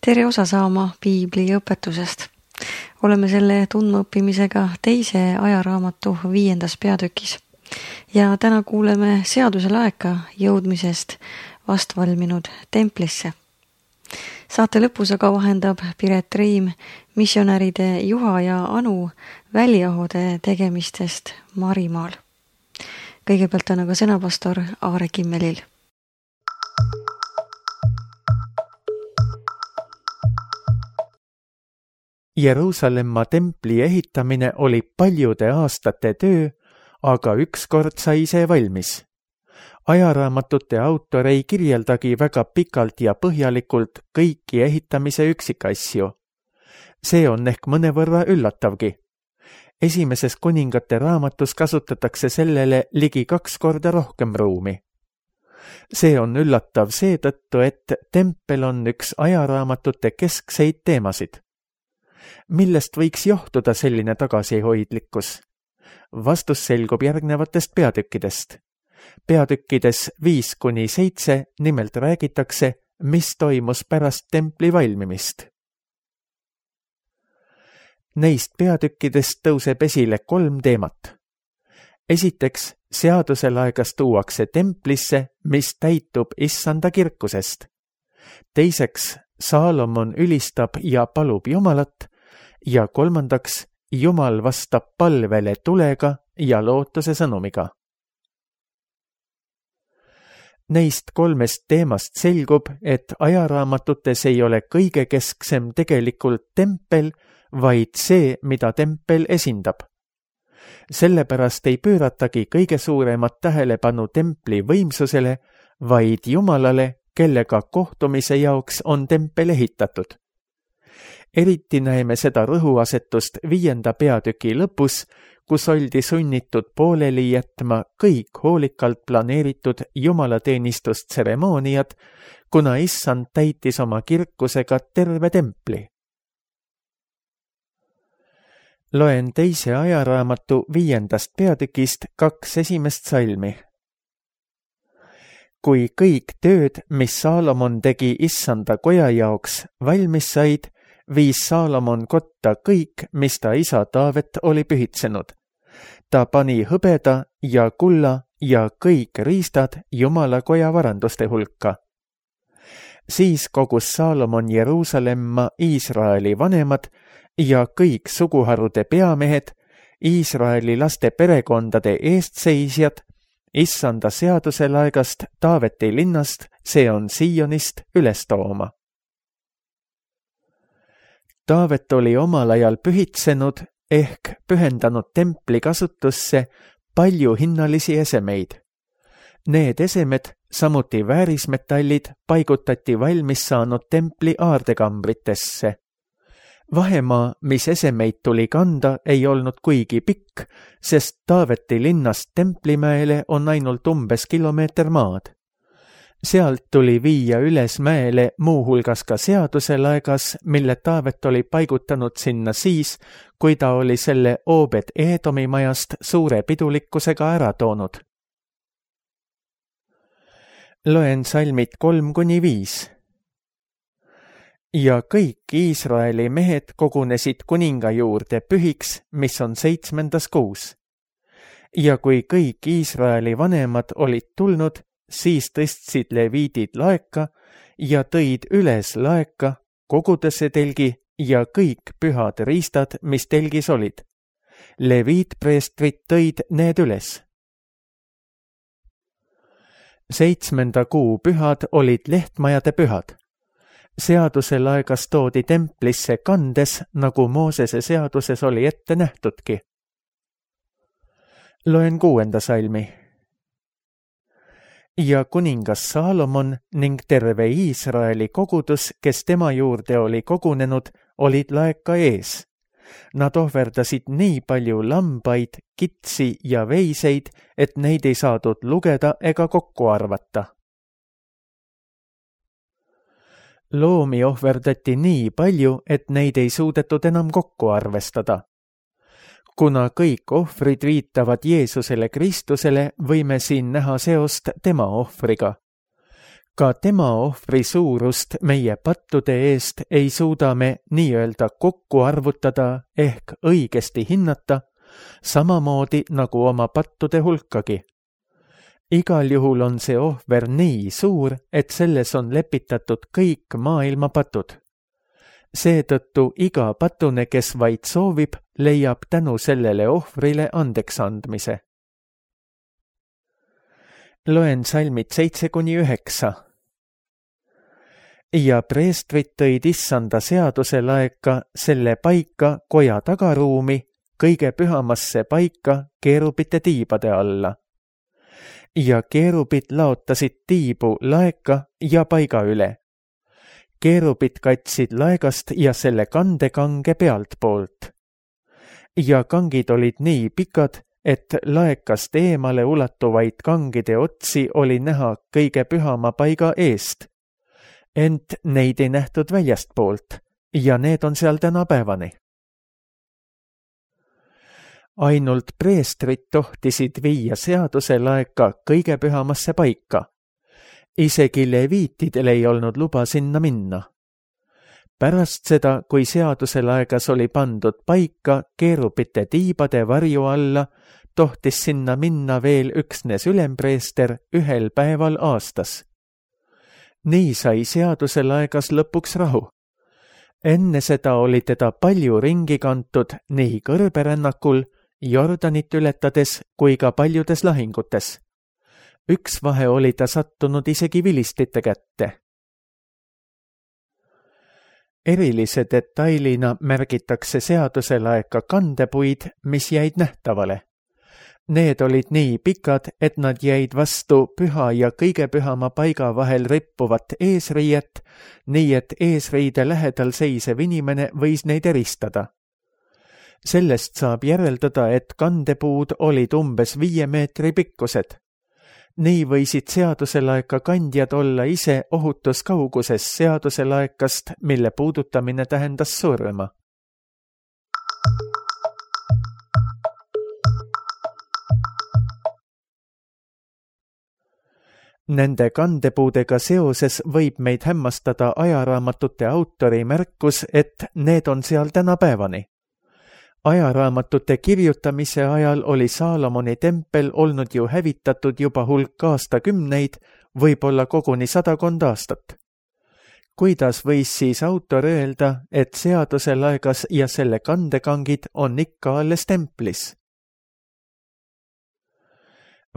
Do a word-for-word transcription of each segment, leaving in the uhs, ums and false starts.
tere osa saama piibli õpetusest. Oleme selle tundmaõppimisega teise ajaraamatu viiendas peatükis. Ja täna kuuleme seaduse laeka jõudmisest vastvalminud templisse. Saate lõpus aga vahendab Piret Reim missionäride Juha ja Anu väliahode tegemistest Marimaal. Kõigepealt on aga sõnapastor Aare Kimmelil. Jeruusalemma templi ehitamine oli paljude aastate töö, aga ükskord sai see valmis. Ajaraamatute autor ei kirjeldagi väga pikalt ja põhjalikult kõiki ehitamise üksikasju. See on ehk mõnevõrra üllatavgi. Esimeses kuningate raamatus kasutatakse sellele ligi kaks korda rohkem ruumi. See on üllatav seetõttu, et tempel on üks ajaraamatute keskseid teemasid. Millest võiks johtuda selline tagasihoidlikkus? Vastus selgub järgnevatest peatükkidest. Peatükkides viis kuni seitse nimelt räägitakse, mis toimus pärast templi valmimist. Neist peatükkidest tõuseb esile kolm teemat. Esiteks, seaduselaegas tuuakse templisse, mis täitub issanda kirkusest. Teiseks, Saalomon ülistab ja palub Jumalat. Ja kolmandaks, Jumal vastab palvele tulega ja lootuse sõnumiga. Neist kolmest teemast selgub, et ajaraamatutes ei ole kõige kesksem tegelikult tempel, vaid see, mida tempel esindab. Sellepärast ei pööratagi kõige suuremat tähelepanu templi võimsusele, vaid Jumalale, kellega kohtumise jaoks on tempel ehitatud. Eriti näeme seda rõhuasetust viienda peatüki lõpus, kus oldi sunnitud pooleli jätma kõik hoolikalt planeeritud jumalateenistustseremooniad, kuna issand täitis oma kirkusega terve templi. Loen teise ajaraamatu viiendast peatükist kaks esimest salmi. Kui kõik tööd, mis Saalomon tegi issanda koja jaoks, valmis said, viis Saalomon kotta kõik, mis ta isa Taavet oli pühitsenud. Ta pani hõbeda ja kulla ja kõik riistad Jumala koja varanduste hulka. Siis kogus Saalomon Jeruusalemma Iisraeli vanemad ja kõik suguharude peamehed, Iisraeli laste perekondade eestseisjad, issanda seaduselaegast Taaveti linnast, see on Siionist, üles tooma. Taavet oli omal ajal pühitsenud ehk pühendanud templi kasutusse palju hinnalisi esemeid. Need esemed, samuti väärismetallid, paigutati valmis saanud templi aardekambritesse. Vahemaa, mis esemeid tuli kanda, ei olnud kuigi pikk, sest Taaveti linnast Templimäele on ainult umbes kilomeeter maad. Sealt tuli viia üles mäele muuhulgas ka seaduselaegas, mille Taavet oli paigutanud sinna siis, kui ta oli selle Obed Edomi majast suure pidulikkusega ära toonud. Loen salmid kolm kuni viis. Ja kõik Iisraeli mehed kogunesid kuninga juurde pühiks, mis on seitsmendas kuus. Ja kui kõik Iisraeli vanemad olid tulnud, siis tõstsid leviidid laeka ja tõid üles laeka, kogudesse telgi ja kõik pühad riistad, mis telgis olid. Leviitpreestrid tõid need üles. Seitsmenda kuu pühad olid lehtmajade pühad. Seaduselaegas toodi templisse kandes, nagu Moosese seaduses oli ette nähtudki. Loen kuuenda salmi. Ja kuningas Saalomon ning terve Iisraeli kogudus, kes tema juurde oli kogunenud, olid laeka ees. Nad ohverdasid nii palju lambaid, kitsi ja veiseid, et neid ei saadud lugeda ega kokku arvata. Loomi ohverdati nii palju, et neid ei suudetud enam kokku arvestada. Kuna kõik ohvrid viitavad Jeesusele Kristusele, võime siin näha seost tema ohvriga. Ka tema ohvri suurust meie pattude eest ei suuda me nii-öelda kokku arvutada ehk õigesti hinnata, samamoodi nagu oma pattude hulkagi. Igal juhul on see ohver nii suur, et selles on lepitatud kõik maailma patud. Seetõttu iga patune, kes vaid soovib, leiab tänu sellele ohvrile andeks andmise. Loen salmid seitse kuni üheksa. Ja preestrid tõid issanda seaduse laeka selle paika koja tagaruumi, kõige pühamasse paika keerubite tiibade alla. Ja keerubid laotasid tiibu laeka ja paiga üle. Keerubid katsid laegast ja selle kandekange pealt poolt. Ja kangid olid nii pikad, et laekast eemale ulatuvaid kangide otsi oli näha kõige pühama paiga eest. Ent neid ei nähtud väljast poolt ja need on seal tänapäevani. Ainult preestrid tohtisid viia seaduse laeka kõige pühamasse paika. Isegi leviitidel ei olnud luba sinna minna. Pärast seda, kui seaduse laegas oli pandud paika keerubite tiibade varju alla, tohtis sinna minna veel üksnes ülempreester ühel päeval aastas. Nii sai seaduse laegas lõpuks rahu. Enne seda oli teda palju ringi kantud nii kõrberännakul, Jordanit ületades kui ka paljudes lahingutes. Üks vahe oli ta sattunud isegi vilistite kätte. Erilise detailina märgitakse seaduse laeka kandepuid, mis jäid nähtavale. Need olid nii pikad, et nad jäid vastu püha ja kõige pühama paiga vahel rippuvat eesriiet, nii et eesriide lähedal seisev inimene võis neid eristada. Sellest saab järeldada, et kandepuud olid umbes viie meetri pikkused. Nii võisid seaduselaeka kandjad olla ise ohutus kauguses seaduselaekast, mille puudutamine tähendas surma. Nende kandepuudega seoses võib meid hämmastada ajaraamatute autori märkus, et need on seal tänapäevani. Ajaraamatute kirjutamise ajal oli Saalomoni tempel olnud ju hävitatud juba hulk aastakümneid, võib-olla koguni sadakond aastat. Kuidas võis siis autor öelda, et seaduse laegas ja selle kandekangid on ikka alles templis?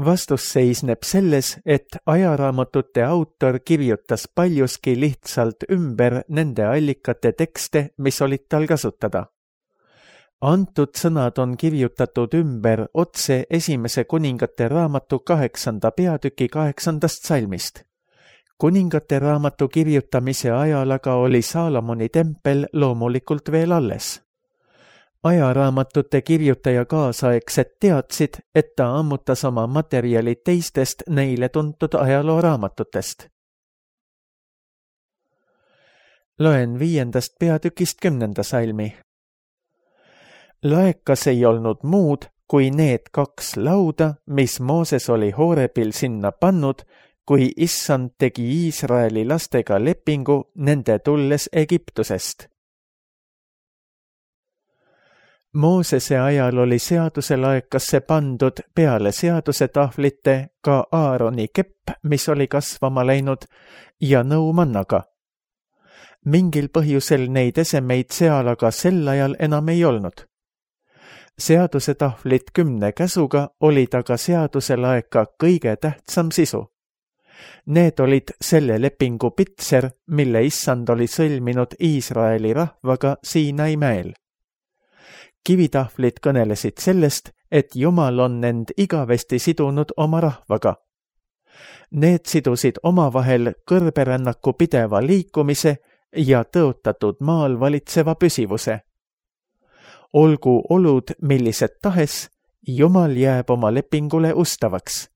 Vastus seisneb selles, et ajaraamatute autor kirjutas paljuski lihtsalt ümber nende allikate tekste, mis olid tal kasutada. Antud sõnad on kirjutatud ümber otse esimese kuningate raamatu kaheksanda peatüki kaheksandast salmist. Kuningate raamatu kirjutamise ajal aga oli Saalomoni tempel loomulikult veel alles. Ajaraamatute kirjutaja kaasaegsed teadsid, et ta ammutas oma materjali teistest neile tuntud ajalooraamatutest. Loen viiendast peatükist kümnenda salmi. Laekas ei olnud muud kui need kaks lauda, mis Mooses oli Hoorebil sinna pannud, kui issand tegi Iisraeli lastega lepingu nende tulles Egiptusest. Moosese ajal oli seaduse laekasse pandud peale seaduse tahvlite ka Aaroni kepp, mis oli kasvama läinud, ja nõumannaga. Mingil põhjusel neid esemeid seal aga sel ajal enam ei olnud. Seaduse tahvlit kümne käsuga olid aga seaduse laeka kõige tähtsam sisu. Need olid selle lepingu pitser, mille issand oli sõlminud Iisraeli rahvaga Siinai mäel. Kivitahvlid kõnelesid sellest, et Jumal on end igavesti sidunud oma rahvaga. Need sidusid omavahel kõrberännaku pideva liikumise ja tõotatud maal valitseva püsivuse. Olgu olud millised tahes, Jumal jääb oma lepingule ustavaks.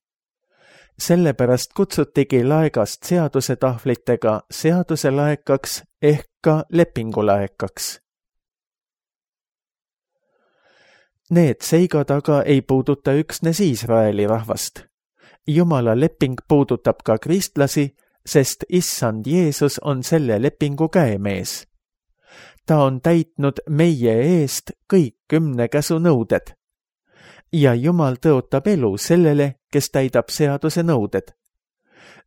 Sellepärast kutsutigi laegast seaduse tahvlitega seaduse laekaks ehk ka lepingulaekaks. Need seigad aga ei puuduta üksnes Iisraeli rahvast. Jumala leping puudutab ka kristlasi sest issand Jeesus on selle lepingu käemees. Ta on täitnud meie eest kõik kümne käsu nõuded. Ja Jumal tõotab elu sellele, kes täidab seaduse nõuded.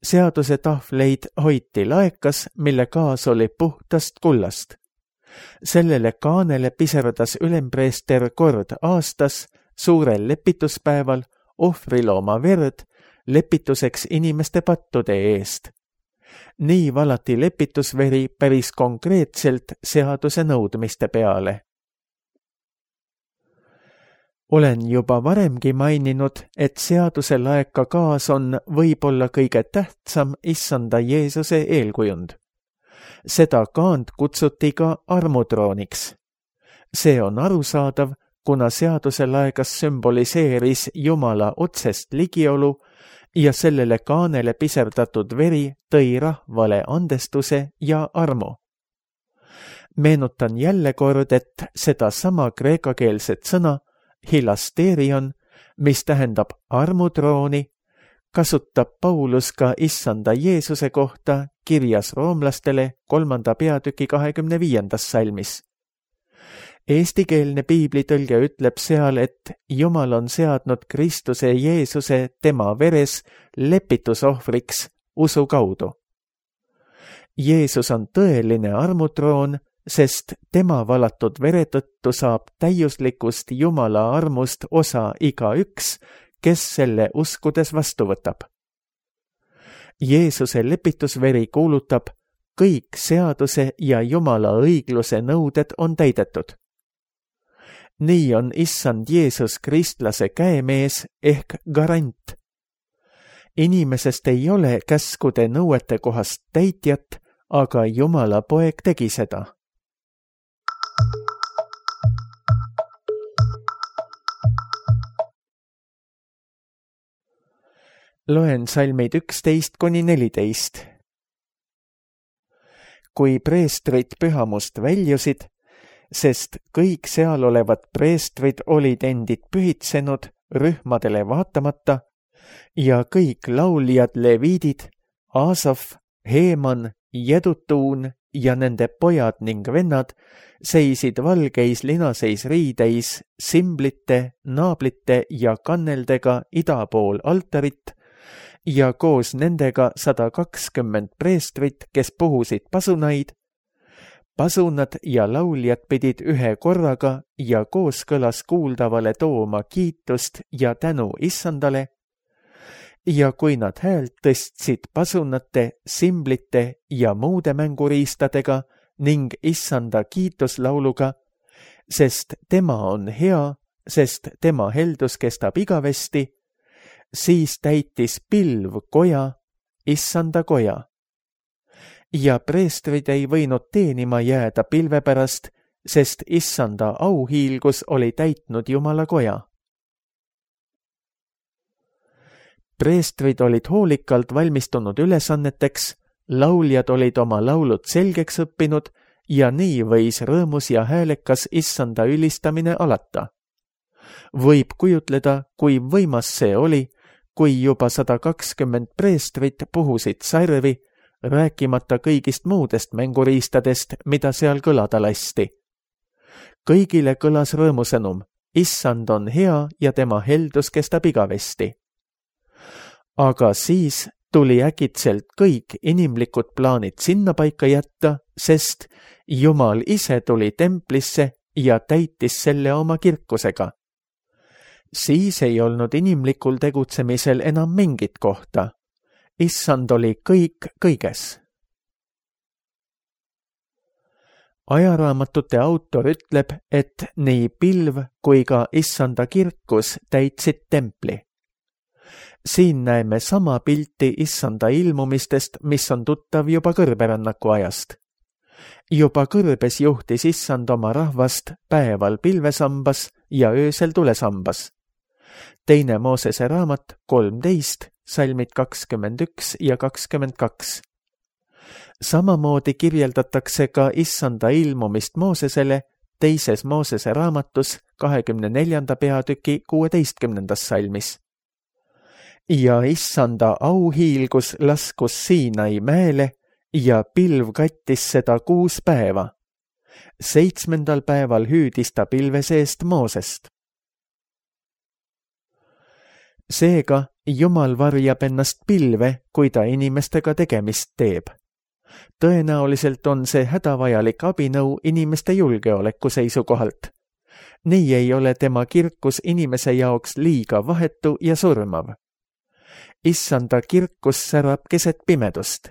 Seaduse tahvleid hoiti laekas, mille kaas oli puhtast kullast. Sellele kaanele piserdas ülempreester kord aastas suurel lepituspäeval ohvrilooma verd lepituseks inimeste pattude eest. Nii valati lepitusveri päris konkreetselt seaduse nõudmiste peale. Olen juba varemgi maininud, et seaduse laeka kaas on võib-olla kõige tähtsam issanda Jeesuse eelkujund. Seda kaant kutsuti ka armutrooniks. See on arusaadav, kuna seaduse laegas sümboliseeris Jumala otsest ligiolu ja sellele kaanele piserdatud veri tõi rahvale andestuse ja armu. Meenutan jälle kord, et seda sama kreekakeelset sõna hilasterion, mis tähendab armutrooni, kasutab Paulus ka issanda Jeesuse kohta kirjas roomlastele kolmanda peatüki kahekümne viiendas salmis. Eestikeelne piiblitõlge ütleb seal, et Jumal on seadnud Kristuse Jeesuse tema veres lepitusohvriks usu kaudu. Jeesus on tõeline armutroon, sest tema valatud vere tõttu saab täiuslikust Jumala armust osa igaüks, kes selle uskudes vastu võtab. Jeesuse lepitusveri kuulutab, kõik seaduse ja Jumala õigluse nõuded on täidetud. Nii on issand Jeesus kristlase käemees ehk garant. Inimesest ei ole käskude nõuete kohast täitjat, aga Jumala poeg tegi seda. Loen salmid üksteist kuni neliteist. Kui preestrid pühamust väljusid, sest kõik seal olevad preestrid olid endid pühitsenud rühmadele vaatamata ja kõik lauljad leviidid, Aasaf, Heeman, Jedutuun ja nende pojad ning vennad seisid valgeis linaseis riideis simblite, naablite ja kanneldega ida pool altarit ja koos nendega sada kakskümmend preestrit, kes puhusid pasunaid. Pasunad ja lauljad pidid ühe korraga ja kooskõlas kuuldavale tooma kiitust ja tänu issandale. Ja kui nad häält tõstsid pasunate, simblite ja muude mänguriistadega ning issanda kiituslauluga, sest tema on hea, sest tema heldus kestab igavesti, siis täitis pilv koja, issanda koja. Ja preestrid ei võinud teenima jääda pilve pärast, sest issanda auhiilgus oli täitnud Jumala koja. Preestrid olid hoolikalt valmistunud ülesanneteks, lauljad olid oma laulud selgeks õppinud ja nii võis rõõmus ja häälekas issanda ülistamine alata. Võib kujutleda, kui võimas see oli, kui juba sada kakskümmend preestrit puhusid sarvi, rääkimata kõigist muudest mänguriistadest, mida seal kõlada lasti. Kõigile kõlas rõõmusõnum, issand on hea ja tema heldus kestab igavesti. Aga siis tuli äkitselt kõik inimlikud plaanid sinna paika jätta, sest Jumal ise tuli templisse ja täitis selle oma kirkusega. Siis ei olnud inimlikul tegutsemisel enam mingit kohta. Issand oli kõik kõiges. Ajaraamatute autor ütleb, et nii pilv kui ka issanda kirkus täitsid templi. Siin näeme sama pilti issanda ilmumistest, mis on tuttav juba kõrberännaku ajast. Juba kõrbes juhtis issand oma rahvast päeval pilvesambas ja öösel tulesambas. Teine Moosese raamat kolmteist, salmid kakskümmend üks ja kakskümmend kaks. Samamoodi kirjeldatakse ka issanda ilmumist Moosesele teises Moosese raamatus kahekümne neljanda peatüki kuueteistkümnendas salmis. ja issanda auhiilgus laskus Siinai mäele ja pilv kattis seda kuus päeva. Seitsmendal päeval hüüdis ta pilve seest Moosest. Seega Jumal varjab ennast pilve, kui ta inimestega tegemist teeb. Tõenäoliselt on see hädavajalik abinõu inimeste julgeoleku seisukohalt. Nii ei ole tema kirkus inimese jaoks liiga vahetu ja surmav. Issanda kirkus särab keset pimedust.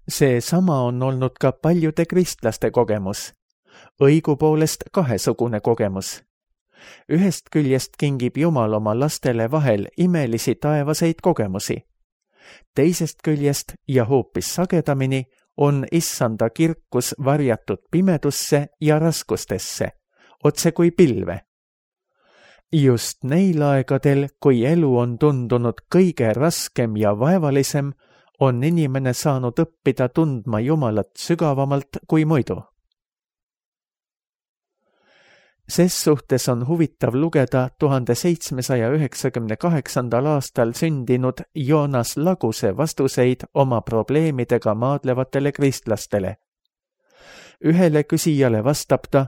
See sama on olnud ka paljude kristlaste kogemus. Õigupoolest kahesugune kogemus. Ühest küljest kingib Jumal oma lastele vahel imelisi taevaseid kogemusi. Teisest küljest ja hoopis sagedamini on issanda kirkus varjatud pimedusse ja raskustesse, otse kui pilve. Just neil aegadel, kui elu on tundunud kõige raskem ja vaevalisem, on inimene saanud õppida tundma Jumalat sügavamalt kui muidu. Ses suhtes on huvitav lugeda tuhande seitsmesaja üheksakümne kaheksandal aastal sündinud Joonas Laguse vastuseid oma probleemidega maadlevatele kristlastele. Ühele küsijale vastab ta: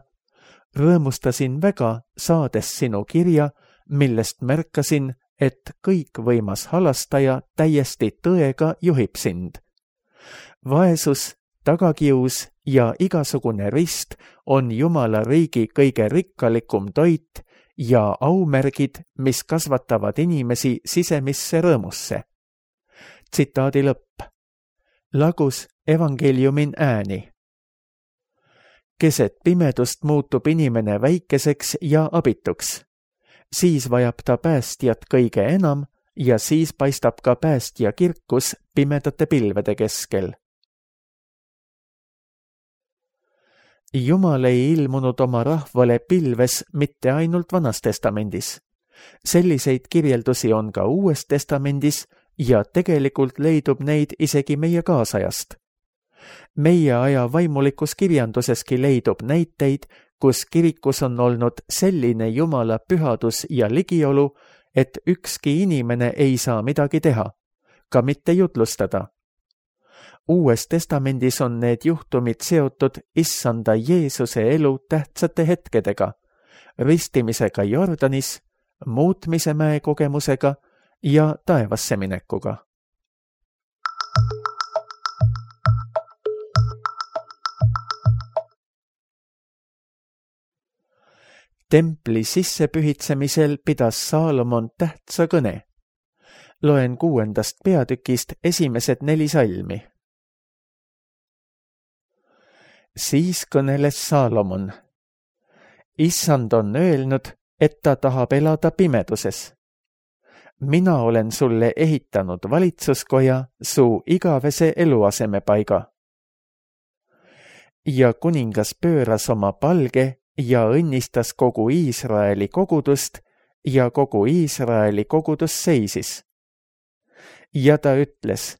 rõõmustasin väga, saades sinu kirja, millest märkasin, et kõikvõimas halastaja täiesti tõega juhib sind. Vaesus, tagakius ja igasugune rist on Jumala riigi kõige rikkalikum toit ja aumärgid, mis kasvatavad inimesi sisemisse rõõmusse. Tsitaadi lõpp. Lagus evangeeliumin ääni. Keset pimedust muutub inimene väikeseks ja abituks. Siis vajab ta päästjat kõige enam ja siis paistab ka päästja kirkus pimedate pilvede keskel. Jumal ei ilmunud oma rahvale pilves mitte ainult Vanas testamendis. Selliseid kirjeldusi on ka Uues testamendis ja tegelikult leidub neid isegi meie kaasajast. Meie aja vaimulikus kirjanduseski leidub näiteid, kus kirikus on olnud selline Jumala pühadus ja ligiolu, et ükski inimene ei saa midagi teha, ka mitte jutlustada. Uues testamendis on need juhtumid seotud issanda Jeesuse elu tähtsate hetkedega, ristimisega Jordanis, muutmise mäe kogemusega ja taevasse minekuga. Templi sissepühitsemisel pidas Saalomon tähtsa kõne. Loen kuuendast peatükist esimesed neli salmi. Siis kõneles Saalomon. Issand on öelnud, et ta tahab elada pimeduses. Mina olen sulle ehitanud valitsuskoja su igavese eluasemepaiga. Ja kuningas pööras oma palge ja õnnistas kogu Iisraeli kogudust ja kogu Iisraeli kogudus seisis. Ja ta ütles,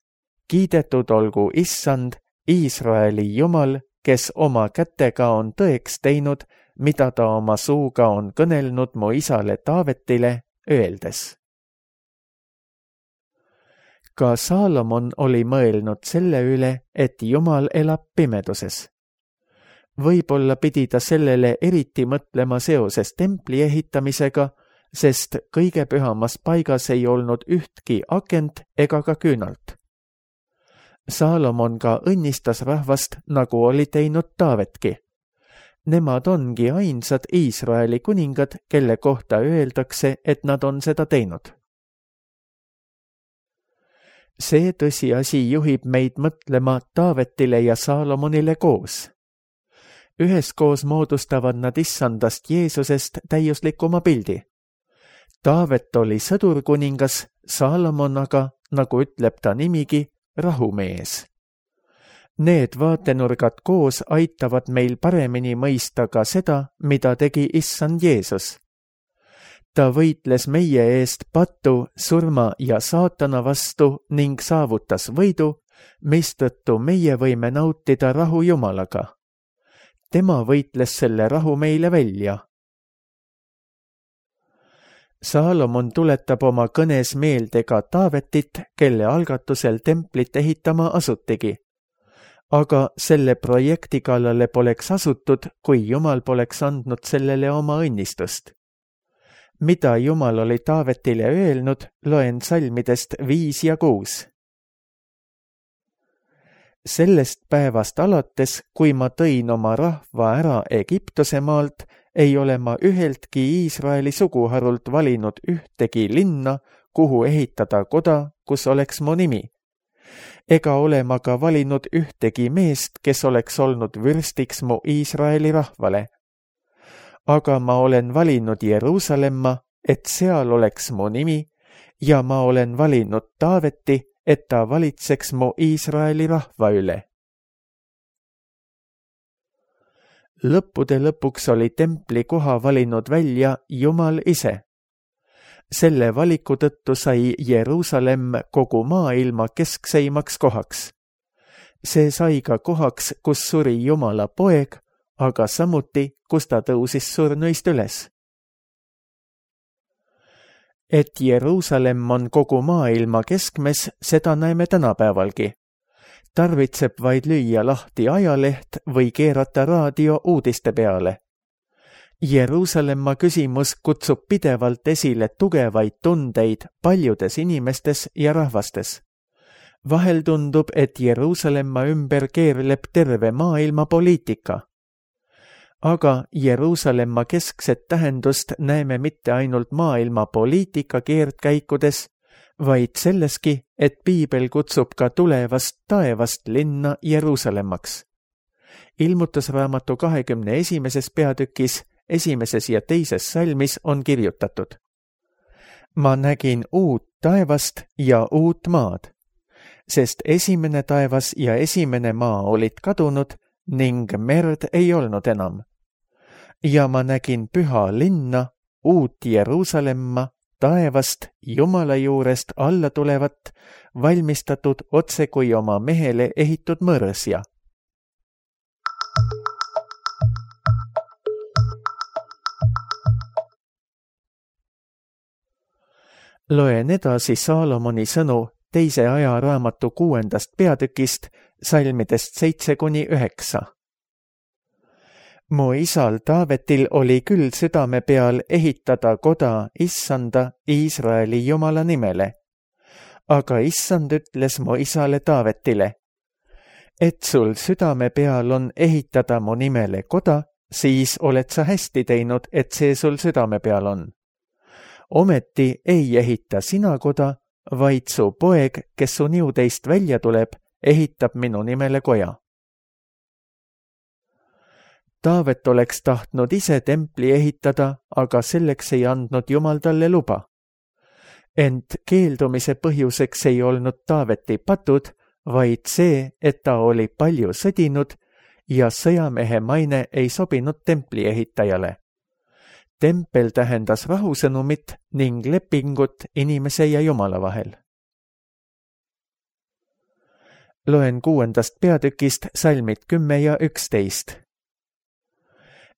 kiidetud olgu Issand, Iisraeli Jumal, kes oma kätega on tõeks teinud, mida ta oma suuga on kõnelnud mu isale Taavetile, öeldes. Ka Saalomon oli mõelnud selle üle, et Jumal elab pimeduses. Võib-olla pidi ta sellele eriti mõtlema seoses templi ehitamisega, sest kõige pühamas paigas ei olnud ühtki akent ega ka küünalt. Saalomon ka õnnistas rahvast, nagu oli teinud Taavetki. Nemad ongi ainsad Iisraeli kuningad, kelle kohta öeldakse, et nad on seda teinud. See tõsiasi juhib meid mõtlema Taavetile ja Saalomonile koos. Üheskoos moodustavad nad issandast Jeesusest täiuslikuma pildi. Taavet oli sõdurkuningas, Saalomon aga, nagu ütleb ta nimigi, rahumees. Need vaatenurgad koos aitavad meil paremini mõista ka seda, mida tegi issand Jeesus. Ta võitles meie eest patu, surma ja saatana vastu ning saavutas võidu, mistõttu meie võime nautida rahu Jumalaga. Tema võitles selle rahu meile välja. Saalomon tuletab oma kõnes meelde ka Taavetit, kelle algatusel templit ehitama asutigi. Aga selle projekti kallale poleks asutud, kui Jumal poleks andnud sellele oma õnnistust. Mida Jumal oli Taavetile öelnud, loen salmidest viis ja kuus. Sellest päevast alates, kui ma tõin oma rahva ära Egiptuse maalt, ei ole ma üheltki Iisraeli suguharult valinud ühtegi linna, kuhu ehitada koda, kus oleks mu nimi. Ega ole ma ka valinud ühtegi meest, kes oleks olnud vürstiks mu Iisraeli rahvale. Aga ma olen valinud Jeruusalemma, et seal oleks mu nimi, ja ma olen valinud Taaveti, et ta valitseks mu Iisraeli rahva üle. Lõppude lõpuks oli templi koha valinud välja Jumal ise. Selle valiku tõttu sai Jeruusalemm kogu maailma keskseimaks kohaks. See sai ka kohaks, kus suri Jumala poeg, aga samuti, kus ta tõusis surnuist üles. Et Jeruusalemm on kogu maailma keskmes, seda näeme tänapäevalgi. Tarvitseb vaid lüüa lahti ajaleht või keerata raadio uudiste peale. Jeruusalemma küsimus kutsub pidevalt esile tugevaid tundeid paljudes inimestes ja rahvastes. Vahel tundub, et Jeruusalemma ümber keerleb terve maailma poliitika. Aga Jeruusalemma keskset tähendust näeme mitte ainult maailma poliitika keerdkäikudes, vaid selleski, et Piibel kutsub ka tulevast taevast linna Jeruusalemmaks. Ilmutusraamatu kahekümne esimeses peatükis, esimeses ja teises salmis on kirjutatud. Ma nägin uut taevast ja uut maad, sest esimene taevas ja esimene maa olid kadunud ning merd ei olnud enam. Ja ma nägin püha linna, uut Jeruusalemma, taevast Jumala juurest alla tulevat, valmistatud otse kui oma mehele ehitud mõrsja. Loen edasi Saalomoni sõnu teise ajaraamatu kuuendast peatükist, salmidest seitse kuni üheksa. Mu isal Taavetil oli küll südame peal ehitada koda Issanda Iisraeli Jumala nimele. Aga Issand ütles mu isale Taavetile, et sul südame peal on ehitada mu nimele koda, siis oled sa hästi teinud, et see sul südame peal on. Ometi ei ehita sina koda, vaid su poeg, kes su niudeist välja tuleb, ehitab minu nimele koja. Taavet oleks tahtnud ise templi ehitada, aga selleks ei andnud Jumal talle luba. Ent keeldumise põhjuseks ei olnud Taaveti patud, vaid see, et ta oli palju sõdinud ja sõjamehe maine ei sobinud templi ehitajale. Tempel tähendas rahusõnumit ning lepingut inimese ja Jumala vahel. Loen kuuendast peatükist salmid kümme ja üksteist.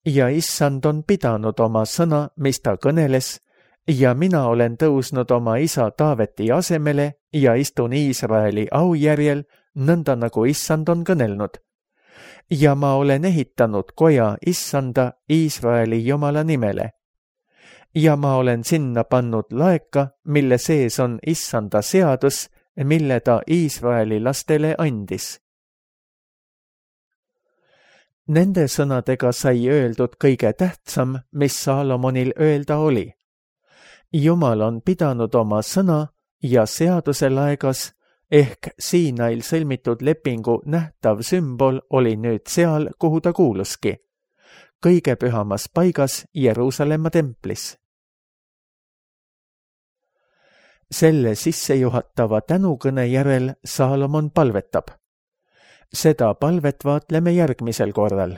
Ja issand on pidanud oma sõna, mis ta kõneles, ja mina olen tõusnud oma isa Taaveti asemele ja istun Iisraeli aujärjel, nõnda nagu issand on kõnelnud. Ja ma olen ehitanud koja issanda Iisraeli Jumala nimele. Ja ma olen sinna pannud laeka, mille sees on issanda seadus, mille ta Iisraeli lastele andis. Nende sõnadega sai öeldud kõige tähtsam, mis Saalomonil öelda oli. Jumal on pidanud oma sõna ja seaduse laegas, ehk Siinail sõlmitud lepingu nähtav sümbol oli nüüd seal, kuhu ta kuuluski, kõige pühamas paigas Jeruusalemma templis. Selle sissejuhatava tänukõne järel Saalomon palvetab. Seda palvet vaatleme järgmisel korral.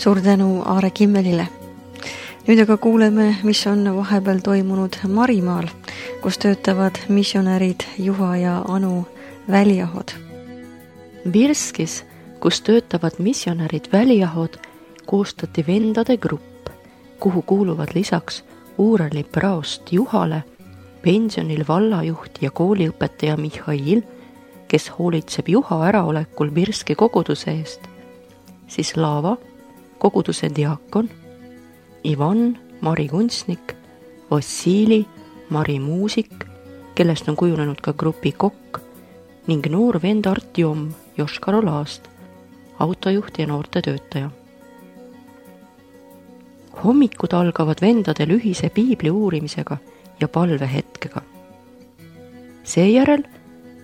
suur tänu Aare Kimmelile. Nüüd aga kuuleme, mis on vahepeal toimunud Marimaal, kus töötavad missionärid Juha ja Anu Väliahod. Birskis, kus töötavad missionärid Väliahod, koostati vendade grupp, kuhu kuuluvad lisaks Uurali praost Juhale, pensionil vallajuht ja kooliõpetaja Mihhail, kes hoolitseb Juha äraolekul Birski koguduse eest, siis Laava, koguduse diakon, Ivan, Mari kunstnik, Vassili, Mari muusik, kellest on kujunenud ka grupi kokk, ning noor vend Artjom Joškarolaast, autojuht ja noortetöötaja. Hommikud algavad vendadel ühise piibli uurimisega ja palvehetkega. Seejärel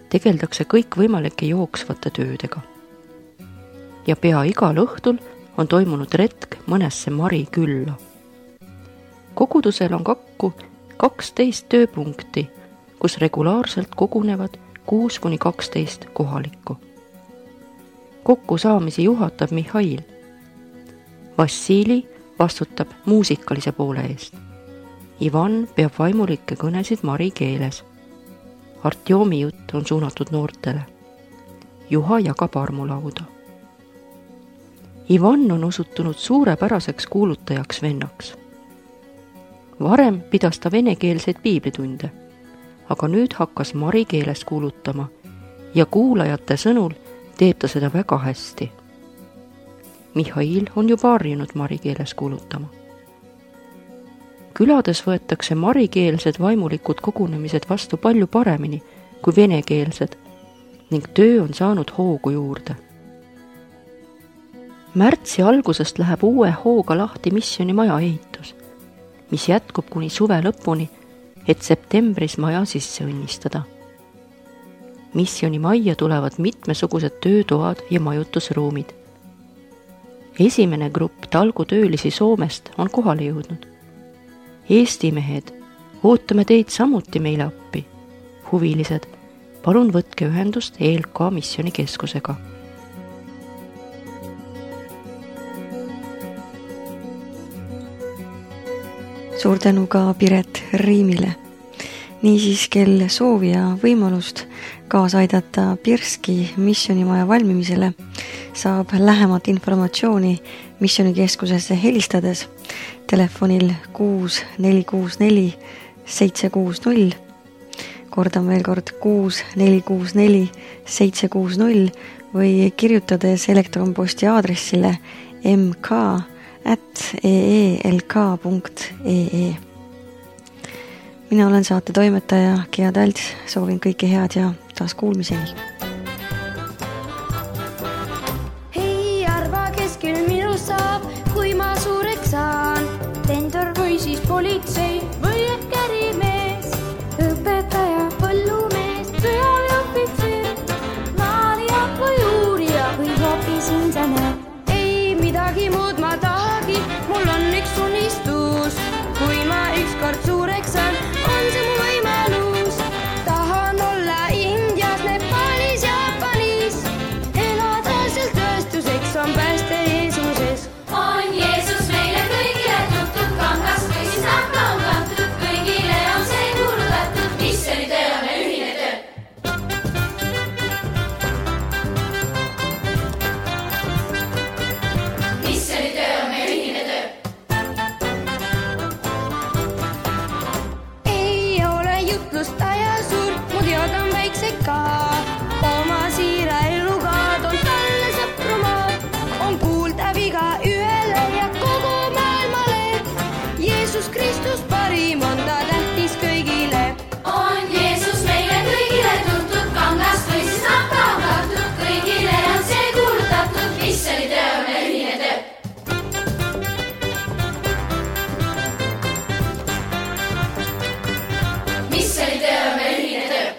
tegeldakse kõik võimalike jooksvate töödega. Ja pea igal õhtul on toimunud retk mõnesse Mari külla. Kogudusel on kakku kaksteist tööpunkti, kus regulaarselt kogunevad kuus kuni kaksteist kohalikku. Kokku saamisi juhatab Mihhail. Vassili vastutab muusikalise poole eest. Ivan peab vaimulikke kõnesid Mari keeles. Artjomi jutt on suunatud noortele. Juha jagab armulauda. Ivan on osutunud suurepäraseks kuulutajaks vennaks. Varem pidas ta venekeelseid piiblitunde, aga nüüd hakkas Mari keeles kuulutama ja kuulajate sõnul teeb ta seda väga hästi. Mihhail on juba harjunud Mari keeles kuulutama. Külades võetakse marikeelsed vaimulikud kogunemised vastu palju paremini kui venekeelsed ning töö on saanud hoogu juurde. Märtsi algusest läheb uue hooga lahti missioni maja ehitus, mis jätkub kuni suve lõpuni, et septembris maja sisse õnnistada. Missioni majja tulevad mitmesugused töötoad ja majutusruumid. Esimene grupp talgutöölisi Soomest on kohale jõudnud. Eesti mehed, ootame teid samuti meile appi. Huvilised, palun võtke ühendust E L K missioni keskusega. Suur tänu ka Piret Riimile. Niisiis, kel soovi ja võimalust kaasa aidata Birski missionimaja valmimisele, saab lähemat informatsiooni missionikeskusesse helistades telefonil kuus neli kuus neli seitse kuus null. Kordan veel kord kuus neli kuus neli seitse kuus null või kirjutades elektronposti aadressile m k at e e l k punkt e e. Mina olen saate toimetaja Gea Talts, soovin kõike head ja taas kuulmiseni. Hei, arva, kes küll minu saab, kui ma suureks saan. Tendor või siis politsei või ehk ärimees, õpetaja, põllumees, sõjaväeohvitser, maalija või uurija või hoopis insener. Ei midagi muud ma tahagi, mul on üks unistus. Kui ma ükskord suureks saan, on see mu võimalus. Tahan olla Indias, Nepaalis, Jaapanis, elada seal tööstuseks on pääste Jeesuses. On Jeesus meile kõigile tuttud, kangast või siis nahka on kantud, kõigile on see kuulutatud, missionitöö on meil ühine töö. Missionitöö on meil ühine töö. Jutlustaja suur, mu teod on väiksed ka. Oma siira eluga toon talle sõprumaad. On kuuldav iga ühele ja kogu maailmale. Jeesus Kristus parim on ta tähtis kõigile. On Jeesus meile kõigile tuntud, kangast või siis nahka on kantud, kõigile on see kuulutatud, missionitöö on meil ühine töö. Missionitöö on meil ühine töö.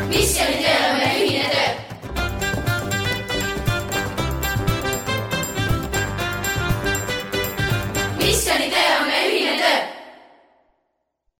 Missionitöö